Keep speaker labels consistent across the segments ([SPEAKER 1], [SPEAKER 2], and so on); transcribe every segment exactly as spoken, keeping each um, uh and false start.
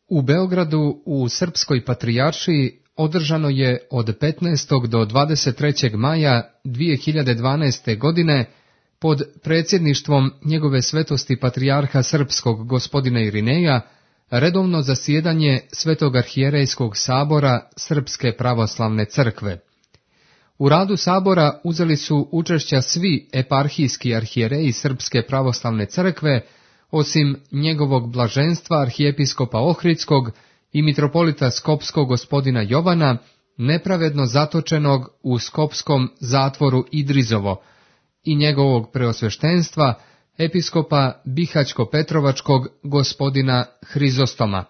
[SPEAKER 1] U Beogradu u Srpskoj patrijaršiji održano je od petnaestog do dvadeset trećeg maja dvije hiljade dvanaeste. godine pod predsjedništvom njegove svetosti patrijarha srpskog gospodina Irineja redovno zasjedanje Svetog arhijerejskog sabora Srpske pravoslavne crkve. U radu sabora uzeli su učešća svi eparhijski arhijereji Srpske pravoslavne crkve, osim njegovog blaženstva arhijepiskopa Ohridskog i mitropolita Skopskog gospodina Jovana, nepravedno zatočenog u skopskom zatvoru Idrizovo, i njegovog preosveštenstva, episkopa Bihać-Petrovačkog gospodina Hrizostoma.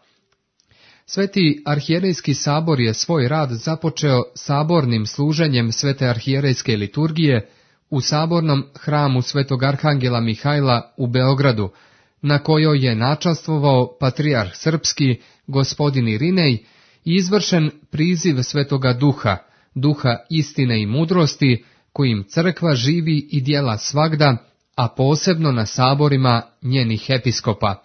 [SPEAKER 1] Sveti arhijerejski sabor je svoj rad započeo sabornim služenjem svete arhijerejske liturgije u sabornom hramu svetog arhangela Mihajla u Beogradu, na kojoj je načastvovao patrijarh srpski gospodin Irinej i izvršen priziv Svetoga Duha, duha istine i mudrosti, kojim crkva živi i djela svagda, a posebno na saborima njenih episkopa.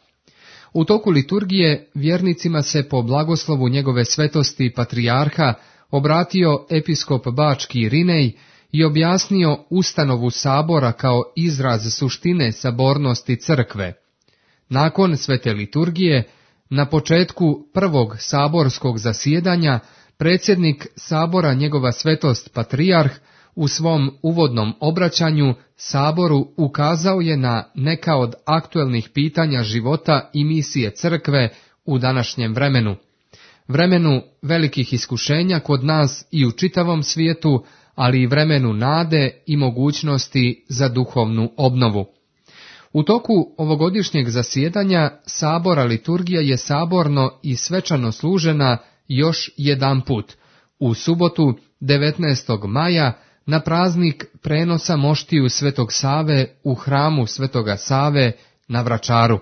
[SPEAKER 1] U toku liturgije vjernicima se po blagoslovu njegove svetosti patrijarha obratio episkop Bački Irinej i objasnio ustanovu sabora kao izraz suštine sabornosti crkve. Nakon svete liturgije, na početku prvog saborskog zasjedanja, predsjednik sabora njegova svetost patrijarh u svom uvodnom obraćanju saboru ukazao je na neka od aktuelnih pitanja života i misije crkve u današnjem vremenu. Vremenu velikih iskušenja kod nas i u čitavom svijetu, ali i vremenu nade i mogućnosti za duhovnu obnovu. U toku ovogodišnjeg zasjedanja sabora liturgija je saborno i svečano služena još jedan put, u subotu devetnaestog maja, na praznik prenosa moštiju Svetog Save u hramu Svetoga Save na Vračaru.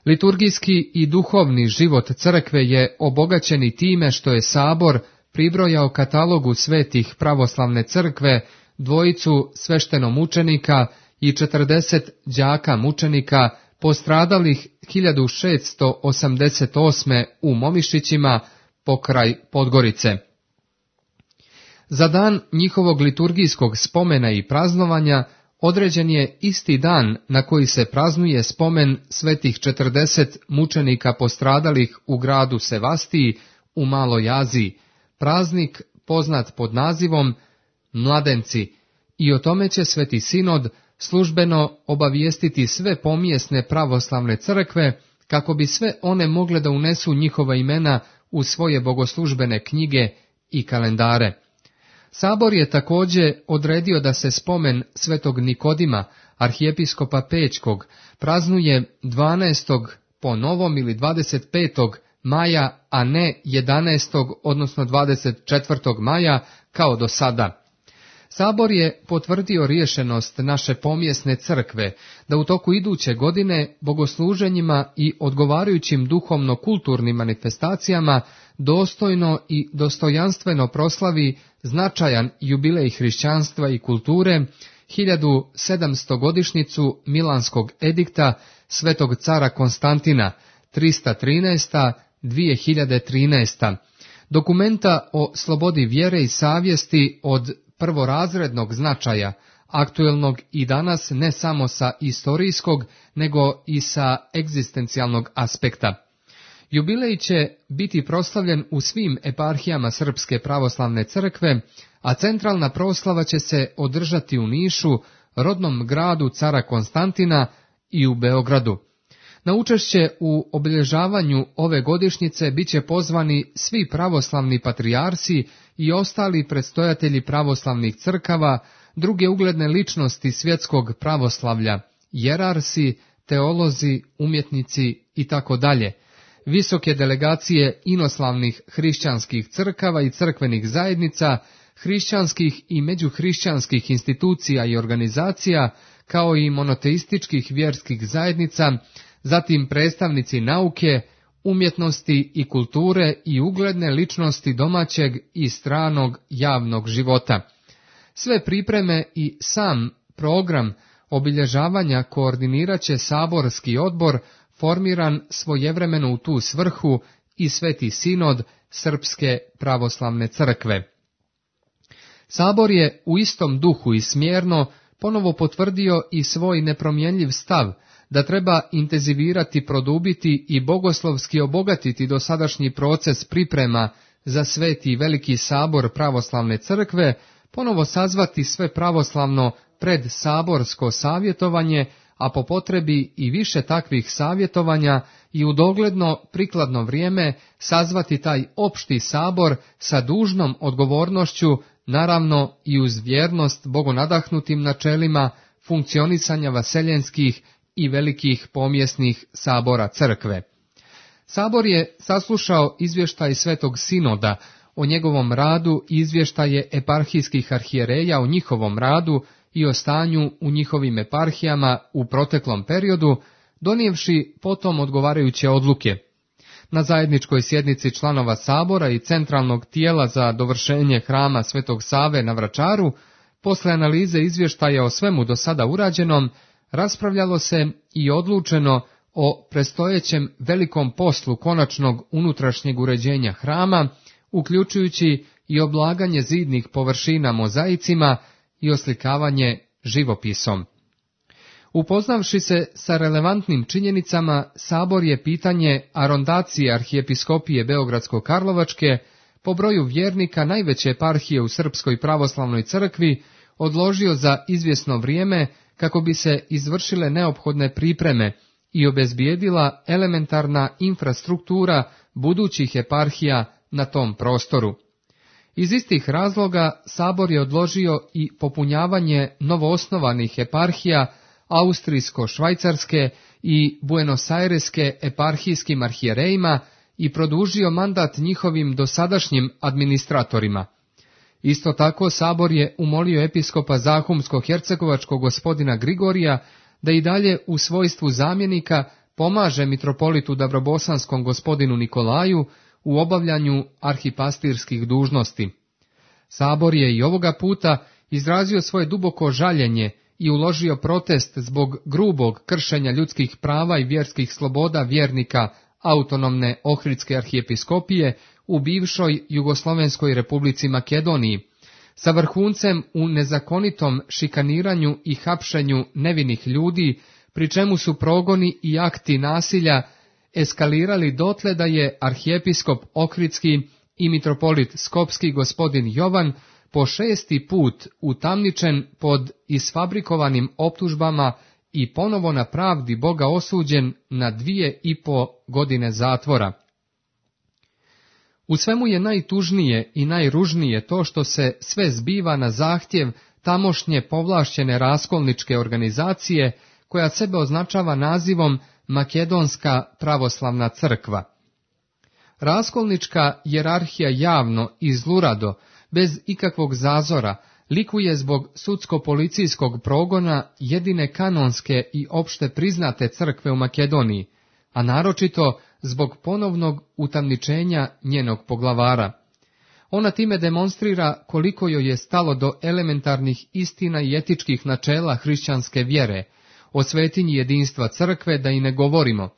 [SPEAKER 1] Liturgijski i duhovni život crkve je obogaćen i time što je sabor pribrojao katalogu svetih pravoslavne crkve dvojicu sveštenomučenika i četrdeset đaka mučenika postradalih hiljadu šeststo osamdeset osme. u Momišićima pokraj Podgorice. Za dan njihovog liturgijskog spomena i praznovanja određen je isti dan na koji se praznuje spomen svetih četrdeset mučenika postradalih u gradu Sevastiji u Maloj Aziji, praznik poznat pod nazivom Mladenci, i o tome će Sveti Sinod službeno obavijestiti sve pomjesne pravoslavne crkve, kako bi sve one mogle da unesu njihova imena u svoje bogoslužbene knjige i kalendare. Sabor je također odredio da se spomen svetog Nikodima, arhijepiskopa Pećkog, praznuje dvanaestog po novom ili dvadeset petog maja, a ne jedanaestog odnosno dvadeset četvrtog maja kao do sada. Sabor je potvrdio rješenost naše pomjesne crkve da u toku iduće godine bogosluženjima i odgovarajućim duhovno-kulturnim manifestacijama dostojno i dostojanstveno proslavi značajan jubilej hrišćanstva i kulture, hiljadu sedamsto godišnjicu Milanskog edikta svetog cara Konstantina, trista trinaesta do dvije hiljade trinaeste. Dokumenta o slobodi vjere i savjesti od prvorazrednog značaja, aktuelnog i danas ne samo sa istorijskog, nego i sa egzistencijalnog aspekta. Jubilej će biti proslavljen u svim eparhijama Srpske pravoslavne crkve, a centralna proslava će se održati u Nišu, rodnom gradu cara Konstantina, i u Beogradu. Na učešće u obilježavanju ove godišnjice bit će pozvani svi pravoslavni patrijarsi i ostali predstojatelji pravoslavnih crkava, druge ugledne ličnosti svjetskog pravoslavlja, jerarsi, teolozi, umjetnici i tako dalje, visoke delegacije inoslavnih hrišćanskih crkava i crkvenih zajednica, hrišćanskih i međuhrišćanskih institucija i organizacija, kao i monoteističkih vjerskih zajednica, zatim predstavnici nauke, umjetnosti i kulture i ugledne ličnosti domaćeg i stranog javnog života. Sve pripreme i sam program obilježavanja koordinirat će saborski odbor formiran svojevremeno u tu svrhu i Sveti sinod Srpske pravoslavne crkve. Sabor je u istom duhu i smjerno ponovo potvrdio i svoj nepromjenljiv stav da treba intenzivirati, produbiti i bogoslovski obogatiti dosadašnji proces priprema za Sveti veliki sabor pravoslavne crkve, ponovo sazvati sve pravoslavno pred saborsko savjetovanje, a po potrebi i više takvih savjetovanja i u dogledno prikladno vrijeme sazvati taj opšti sabor sa dužnom odgovornošću, naravno i uz vjernost bogonadahnutim načelima funkcionisanja vaseljenskih i velikih pomjesnih sabora crkve. Sabor je saslušao izvještaj Svetog sinoda o njegovom radu i izvještaje eparhijskih arhijereja o njihovom radu i o stanju u njihovim eparhijama u proteklom periodu, donijevši potom odgovarajuće odluke. Na zajedničkoj sjednici članova sabora i centralnog tijela za dovršenje hrama Svetog Save na Vračaru, posle analize izvještaja o svemu do sada urađenom, raspravljalo se i odlučeno o prestojećem velikom poslu konačnog unutrašnjeg uređenja hrama, uključujući i oblaganje zidnih površina mozaicima i oslikavanje živopisom. Upoznavši se sa relevantnim činjenicama, Sabor je pitanje arondacije arhijepiskopije Beogradsko-Karlovačke po broju vjernika najveće eparhije u Srpskoj pravoslavnoj crkvi odložio za izvjesno vrijeme kako bi se izvršile neophodne pripreme i obezbijedila elementarna infrastruktura budućih eparhija na tom prostoru. Iz istih razloga Sabor je odložio i popunjavanje novoosnovanih eparhija Austrijsko-švajcarske i Buenos-Aireske eparhijskim arhijerejima i produžio mandat njihovim dosadašnjim administratorima. Isto tako Sabor je umolio episkopa Zahumsko-hercegovačkog gospodina Grigorija da i dalje u svojstvu zamjenika pomaže mitropolitu Dabrobosanskom gospodinu Nikolaju u obavljanju arhipastirskih dužnosti. Sabor je i ovoga puta izrazio svoje duboko žaljenje i uložio protest zbog grubog kršenja ljudskih prava i vjerskih sloboda vjernika autonomne Ohridske arhijepiskopije u bivšoj Jugoslovenskoj republici Makedoniji, sa vrhuncem u nezakonitom šikaniranju i hapšenju nevinih ljudi, pri čemu su progoni i akti nasilja eskalirali dotle da je arhijepiskop Ohridski i mitropolit Skopski gospodin Jovan po šesti put utamničen pod isfabrikovanim optužbama i ponovo na pravdi Boga osuđen na dvije i po godine zatvora. U svemu je najtužnije i najružnije to što se sve zbiva na zahtjev tamošnje povlašćene raskolničke organizacije koja sebe označava nazivom Makedonska pravoslavna crkva. Raskolnička jerarhija javno i zlurado, bez ikakvog zazora, likuje zbog sudsko-policijskog progona jedine kanonske i opšte priznate crkve u Makedoniji, a naročito zbog ponovnog utamničenja njenog poglavara. Ona time demonstrira koliko joj je stalo do elementarnih istina i etičkih načela hrišćanske vjere, o svetinji jedinstva crkve da i ne govorimo,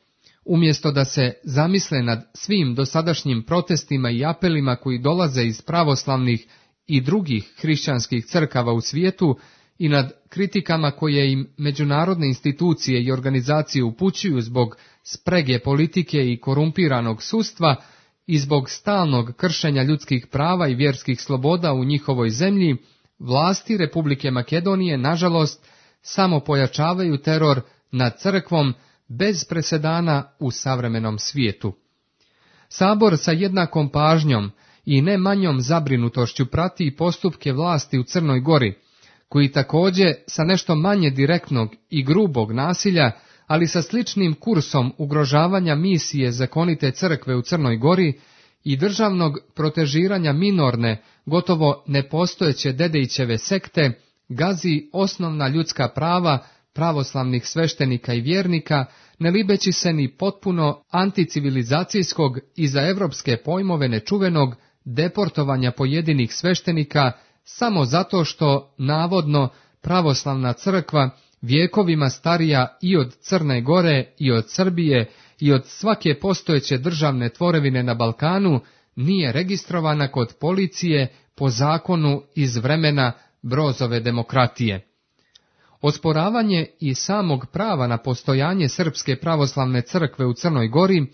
[SPEAKER 1] umjesto da se zamisle nad svim dosadašnjim protestima i apelima koji dolaze iz pravoslavnih i drugih hrišćanskih crkava u svijetu i nad kritikama koje im međunarodne institucije i organizacije upućuju zbog sprege politike i korumpiranog sudstva i zbog stalnog kršenja ljudskih prava i vjerskih sloboda u njihovoj zemlji, vlasti Republike Makedonije, nažalost, samo pojačavaju teror nad crkvom bez presedana u savremenom svijetu. Sabor sa jednakom pažnjom i ne manjom zabrinutošću prati i postupke vlasti u Crnoj Gori, koji također sa nešto manje direktnog i grubog nasilja, ali sa sličnim kursom ugrožavanja misije zakonite crkve u Crnoj Gori i državnog protežiranja minorne, gotovo nepostojeće Dedejićeve sekte, gazi osnovna ljudska prava pravoslavnih sveštenika i vjernika, ne libeći se ni potpuno anticivilizacijskog i za evropske pojmove nečuvenog deportovanja pojedinih sveštenika samo zato što, navodno, pravoslavna crkva vijekovima starija i od Crne Gore i od Srbije i od svake postojeće državne tvorevine na Balkanu, nije registrovana kod policije po zakonu iz vremena Brozove demokratije. Osporavanje i samog prava na postojanje Srpske pravoslavne crkve u Crnoj Gori,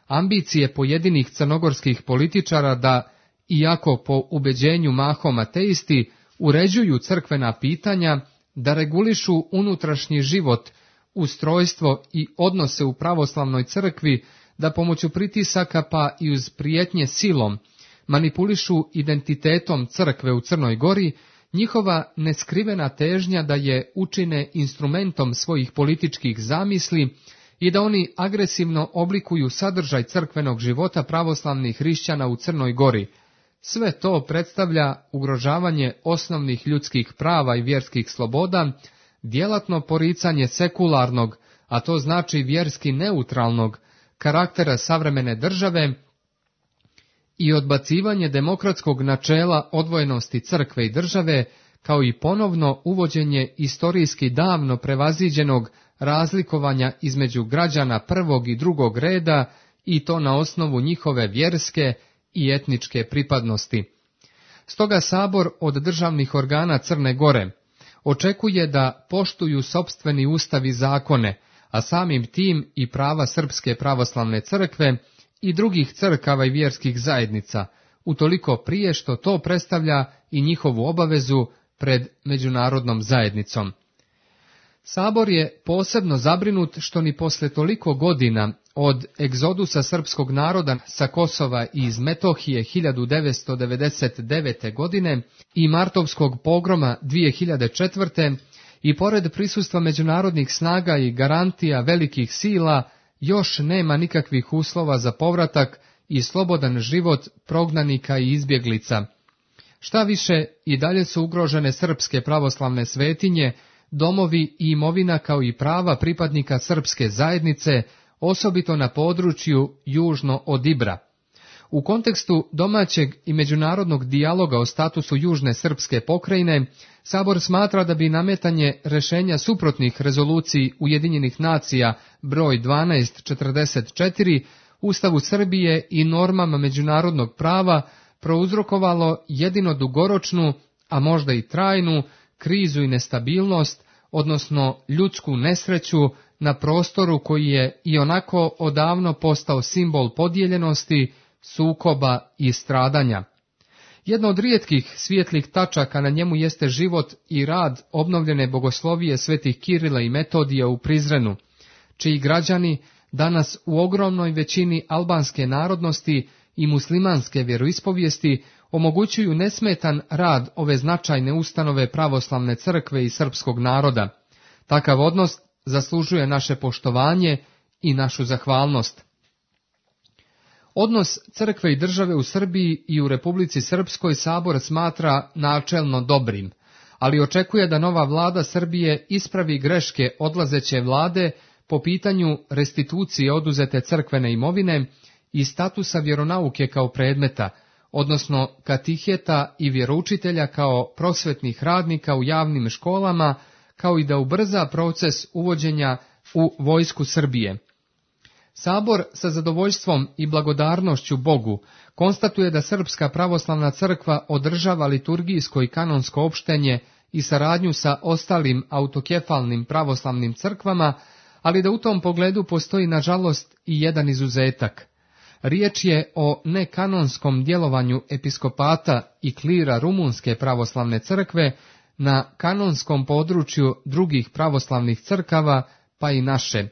[SPEAKER 1] ambicije pojedinih crnogorskih političara da, iako po ubeđenju mahom ateisti, uređuju crkvena pitanja, da regulišu unutrašnji život, ustrojstvo i odnose u pravoslavnoj crkvi, da pomoću pritisaka pa i uz prijetnje silom manipulišu identitetom crkve u Crnoj Gori, njihova neskrivena težnja da je učine instrumentom svojih političkih zamisli i da oni agresivno oblikuju sadržaj crkvenog života pravoslavnih hrišćana u Crnoj Gori. Sve to predstavlja ugrožavanje osnovnih ljudskih prava i vjerskih sloboda, djelatno poricanje sekularnog, a to znači vjerski neutralnog, karaktera savremene države i odbacivanje demokratskog načela odvojenosti crkve i države, kao i ponovno uvođenje istorijski davno prevaziđenog razlikovanja između građana prvog i drugog reda, i to na osnovu njihove vjerske i etničke pripadnosti. Stoga Sabor od državnih organa Crne Gore očekuje da poštuju sopstveni ustav i zakone, a samim tim i prava Srpske pravoslavne crkve i drugih crkava i vjerskih zajednica, utoliko prije što to predstavlja i njihovu obavezu pred međunarodnom zajednicom. Sabor je posebno zabrinut što ni posle toliko godina od egzodusa srpskog naroda sa Kosova i iz Metohije hiljadu devetsto devedeset devete. godine i martovskog pogroma dvije hiljade četvrte. i pored prisustva međunarodnih snaga i garantija velikih sila, još nema nikakvih uslova za povratak i slobodan život prognanika i izbjeglica. Šta više, i dalje su ugrožene srpske pravoslavne svetinje, domovi i imovina kao i prava pripadnika srpske zajednice, osobito na području južno od Ibra. U kontekstu domaćeg i međunarodnog dijaloga o statusu južne srpske pokrajine, Sabor smatra da bi nametanje rješenja suprotnih rezoluciji Ujedinjenih nacija broj dvanaest četrdeset četiri, Ustavu Srbije i normama međunarodnog prava prouzrokovalo jedino dugoročnu, a možda i trajnu, krizu i nestabilnost, odnosno ljudsku nesreću na prostoru koji je i onako odavno postao simbol podijeljenosti, sukoba i stradanja. Jedna od rijetkih svijetlih tačaka na njemu jeste život i rad obnovljene bogoslovije svetih Kirila i Metodija u Prizrenu, čiji građani danas u ogromnoj većini albanske narodnosti i muslimanske vjeroispovijesti omogućuju nesmetan rad ove značajne ustanove pravoslavne crkve i srpskog naroda. Takav odnos zaslužuje naše poštovanje i našu zahvalnost. Odnos crkve i države u Srbiji i u Republici Srpskoj Sabor smatra načelno dobrim, ali očekuje da nova vlada Srbije ispravi greške odlazeće vlade po pitanju restitucije oduzete crkvene imovine i statusa vjeronauke kao predmeta, odnosno katiheta i vjeroučitelja kao prosvetnih radnika u javnim školama, kao i da ubrza proces uvođenja u vojsku Srbije. Sabor sa zadovoljstvom i blagodarnošću Bogu konstatuje da Srpska pravoslavna crkva održava liturgijsko i kanonsko opštenje i saradnju sa ostalim autokefalnim pravoslavnim crkvama, ali da u tom pogledu postoji nažalost i jedan izuzetak. Riječ je o nekanonskom djelovanju episkopata i klira Rumunske pravoslavne crkve na kanonskom području drugih pravoslavnih crkava, pa i naše.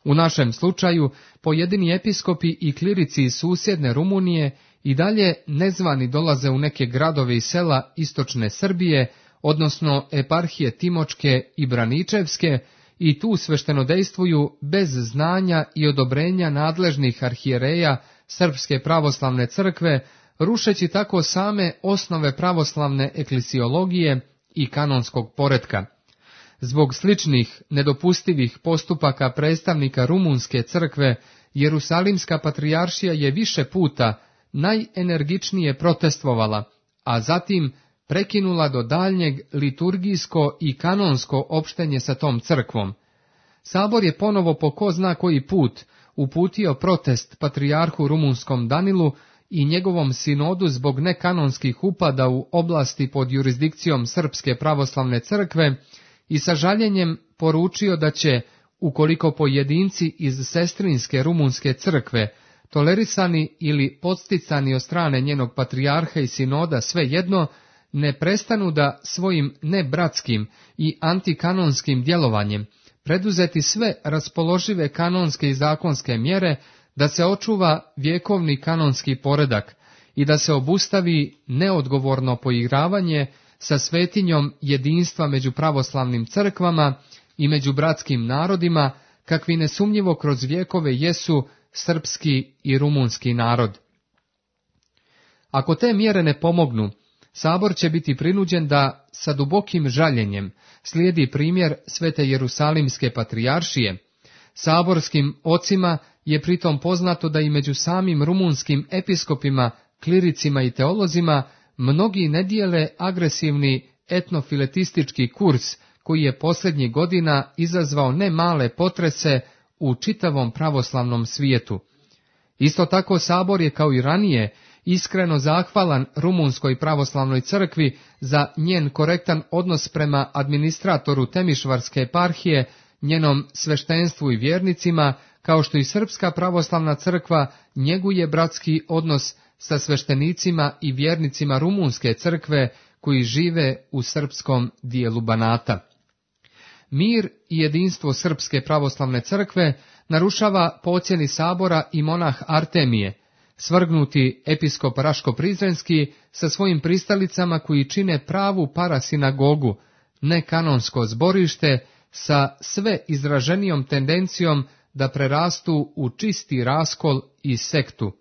[SPEAKER 1] U našem slučaju, pojedini episkopi i klirici iz susjedne Rumunije i dalje nezvani dolaze u neke gradove i sela istočne Srbije, odnosno eparhije Timočke i Braničevske, i tu sveštenodejstvuju bez znanja i odobrenja nadležnih arhijereja Srpske pravoslavne crkve, rušeći tako same osnove pravoslavne eklesiologije i kanonskog poretka. Zbog sličnih nedopustivih postupaka predstavnika Rumunske crkve, Jerusalimska patrijaršija je više puta najenergičnije protestvovala, a zatim prekinula do daljnjeg liturgijsko i kanonsko opštenje sa tom crkvom. Sabor je ponovo po ko zna koji put uputio protest patrijarhu rumunskom Danilu i njegovom sinodu zbog nekanonskih upada u oblasti pod jurisdikcijom Srpske pravoslavne crkve i sa žaljenjem poručio da će, ukoliko pojedinci iz sestrinske rumunske crkve, tolerisani ili podsticani od strane njenog patrijarha i sinoda svejedno, ne prestanu da svojim nebratskim i antikanonskim djelovanjem preduzeti sve raspoložive kanonske i zakonske mjere da se očuva vjekovni kanonski poredak i da se obustavi neodgovorno poigravanje sa svetinjom jedinstva među pravoslavnim crkvama i među bratskim narodima, kakvi nesumnjivo kroz vjekove jesu srpski i rumunski narod. Ako te mjere ne pomognu, Sabor će biti prinuđen da sa dubokim žaljenjem slijedi primjer Svete Jerusalimske patrijaršije. Saborskim ocima je pritom poznato da i među samim rumunskim episkopima, kliricima i teolozima mnogi ne dijele agresivni etnofiletistički kurs koji je posljednjih godina izazvao ne male potrese u čitavom pravoslavnom svijetu. Isto tako Sabor je kao i ranije iskreno zahvalan Rumunskoj pravoslavnoj crkvi za njen korektan odnos prema administratoru Temišvarske eparhije, njenom sveštenstvu i vjernicima, kao što i Srpska pravoslavna crkva njeguje bratski odnos sa sveštenicima i vjernicima Rumunske crkve koji žive u srpskom dijelu Banata. Mir i jedinstvo Srpske pravoslavne crkve narušava po ocjeni Sabora i monah Artemije, svrgnuti episkop Raško-Prizrenski sa svojim pristalicama koji čine pravu parasinagogu, nekanonsko zborište sa sve izraženijom tendencijom da prerastu u čisti raskol i sektu.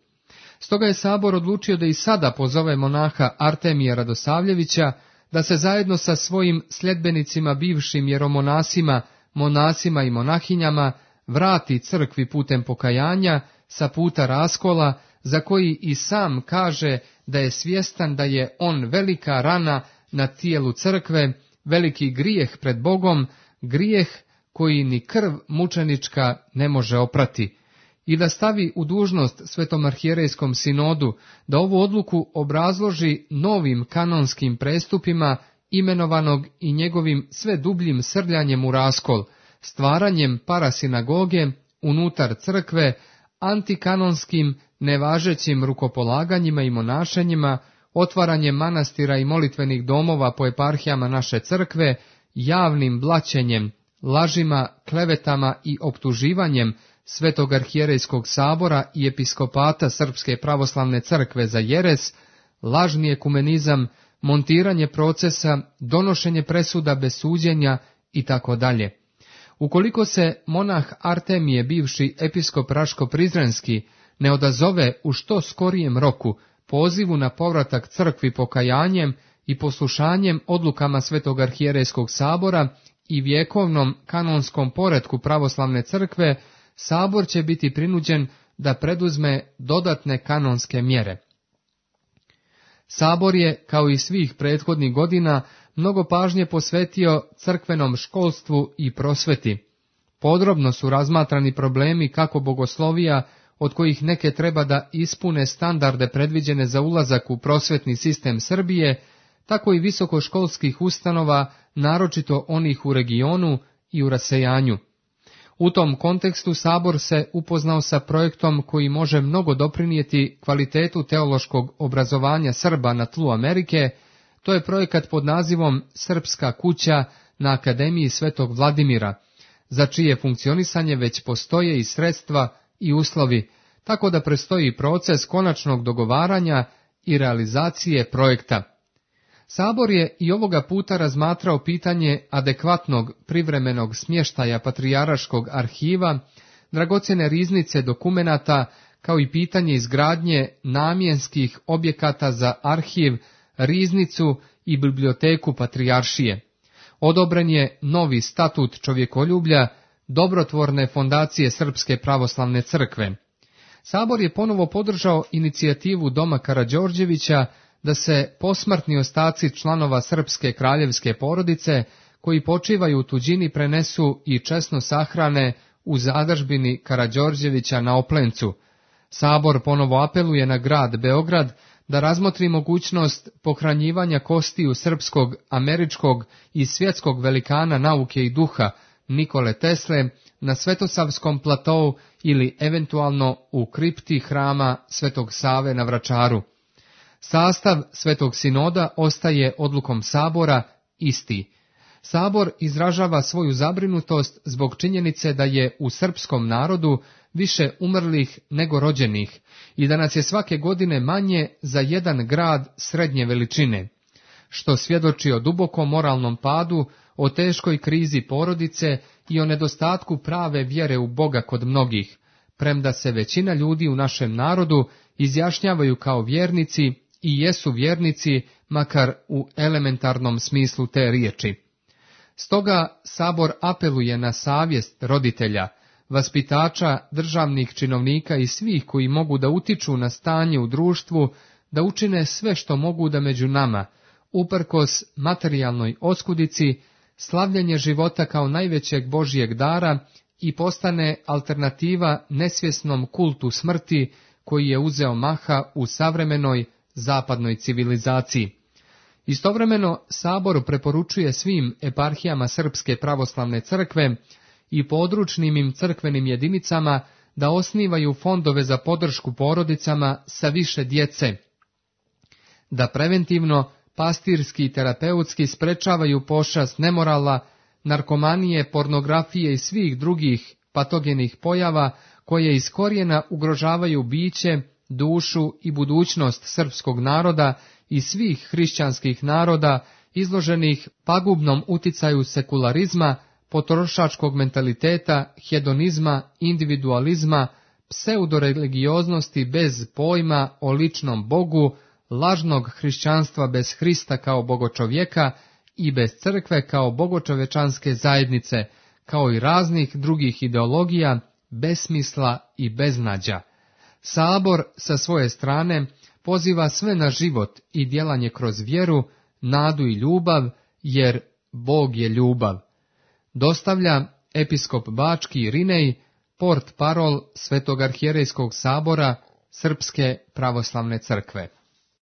[SPEAKER 1] Stoga je Sabor odlučio da i sada pozove monaha Artemija Radosavljevića da se zajedno sa svojim sljedbenicima bivšim jeromonasima, monasima i monahinjama vrati crkvi putem pokajanja sa puta raskola, za koji i sam kaže da je svjestan da je on velika rana na tijelu crkve, veliki grijeh pred Bogom, grijeh koji ni krv mučenička ne može oprati, i da stavi u dužnost Svetom arhijerejskom sinodu da ovu odluku obrazloži novim kanonskim prestupima imenovanog i njegovim sve dubljim srljanjem u raskol, stvaranjem parasinagoge unutar crkve, antikanonskim nevažećim rukopolaganjima i monašenjima, otvaranjem manastira i molitvenih domova po eparhijama naše crkve, javnim blaćenjem, lažima, klevetama i optuživanjem Svetog arhijerejskog sabora i episkopata Srpske pravoslavne crkve za jeres, lažni ekumenizam, montiranje procesa, donošenje presuda bez suđenja i tako dalje. Ukoliko se monah Artemije, bivši episkop Raško-Prizrenski, ne odazove u što skorijem roku pozivu na povratak crkvi pokajanjem i poslušanjem odlukama Svetog arhijerejskog sabora i vjekovnom kanonskom poretku pravoslavne crkve, Sabor će biti prinuđen da preduzme dodatne kanonske mjere. Sabor je, kao i svih prethodnih godina, mnogo pažnje posvetio crkvenom školstvu i prosveti. Podrobno su razmatrani problemi kako bogoslovija, od kojih neke treba da ispune standarde predviđene za ulazak u prosvetni sistem Srbije, tako i visokoškolskih ustanova, naročito onih u regionu i u rasejanju. U tom kontekstu Sabor se upoznao sa projektom koji može mnogo doprinijeti kvalitetu teološkog obrazovanja Srba na tlu Amerike. To je projekat pod nazivom Srpska kuća na Akademiji Svetog Vladimira, za čije funkcionisanje već postoje i sredstva i uslovi, tako da predstoji proces konačnog dogovaranja i realizacije projekta. Sabor je i ovoga puta razmatrao pitanje adekvatnog privremenog smještaja Patrijaraškog arhiva, dragocjene riznice dokumenata, kao i pitanje izgradnje namjenskih objekata za arhiv, riznicu i biblioteku Patrijaršije. Odobren je novi statut čovjekoljublja, dobrotvorne fondacije Srpske pravoslavne crkve. Sabor je ponovo podržao inicijativu Doma Karađorđevića da se posmrtni ostaci članova srpske kraljevske porodice koji počivaju u tuđini prenesu i česno sahrane u zadržbini Karađorđevića na Oplencu. Sabor ponovo apeluje na grad Beograd da razmotri mogućnost pohranjivanja kostiju srpskog, američkog i svjetskog velikana nauke i duha Nikole Tesle na Svetosavskom platou ili eventualno u kripti hrama Svetog Save na Vračaru. Sastav Svetog sinoda ostaje odlukom Sabora isti. Sabor izražava svoju zabrinutost zbog činjenice da je u srpskom narodu više umrlih nego rođenih i da nas je svake godine manje za jedan grad srednje veličine, što svjedoči o dubokom moralnom padu, o teškoj krizi porodice i o nedostatku prave vjere u Boga kod mnogih, premda se većina ljudi u našem narodu izjašnjavaju kao vjernici i jesu vjernici, makar u elementarnom smislu te riječi. Stoga Sabor apeluje na savjest roditelja, vaspitača, državnih činovnika i svih koji mogu da utiču na stanje u društvu, da učine sve što mogu da među nama, uprkos materijalnoj oskudici, slavljenje života kao najvećeg Božjeg dara i postane alternativa nesvjesnom kultu smrti koji je uzeo maha u savremenoj zapadnoj civilizaciji. Istovremeno, Sabor preporučuje svim eparhijama Srpske pravoslavne crkve i područnim im crkvenim jedinicama da osnivaju fondove za podršku porodicama sa više djece, da preventivno, pastirski i terapeutski sprečavaju pošast nemorala, narkomanije, pornografije i svih drugih patogenih pojava koje iz korijena ugrožavaju biće, dušu i budućnost srpskog naroda i svih hrišćanskih naroda izloženih pagubnom uticaju sekularizma, potrošačkog mentaliteta, hedonizma, individualizma, pseudoreligioznosti bez pojma o ličnom Bogu, lažnog hrišćanstva bez Hrista kao bogočovjeka i bez crkve kao bogočovečanske zajednice, kao i raznih drugih ideologija, besmisla i beznađa. Sabor sa svoje strane poziva sve na život i djelanje kroz vjeru, nadu i ljubav, jer Bog je ljubav. Dostavlja episkop Bački Irinej, port parol Svetog arhijerejskog sabora Srpske pravoslavne crkve.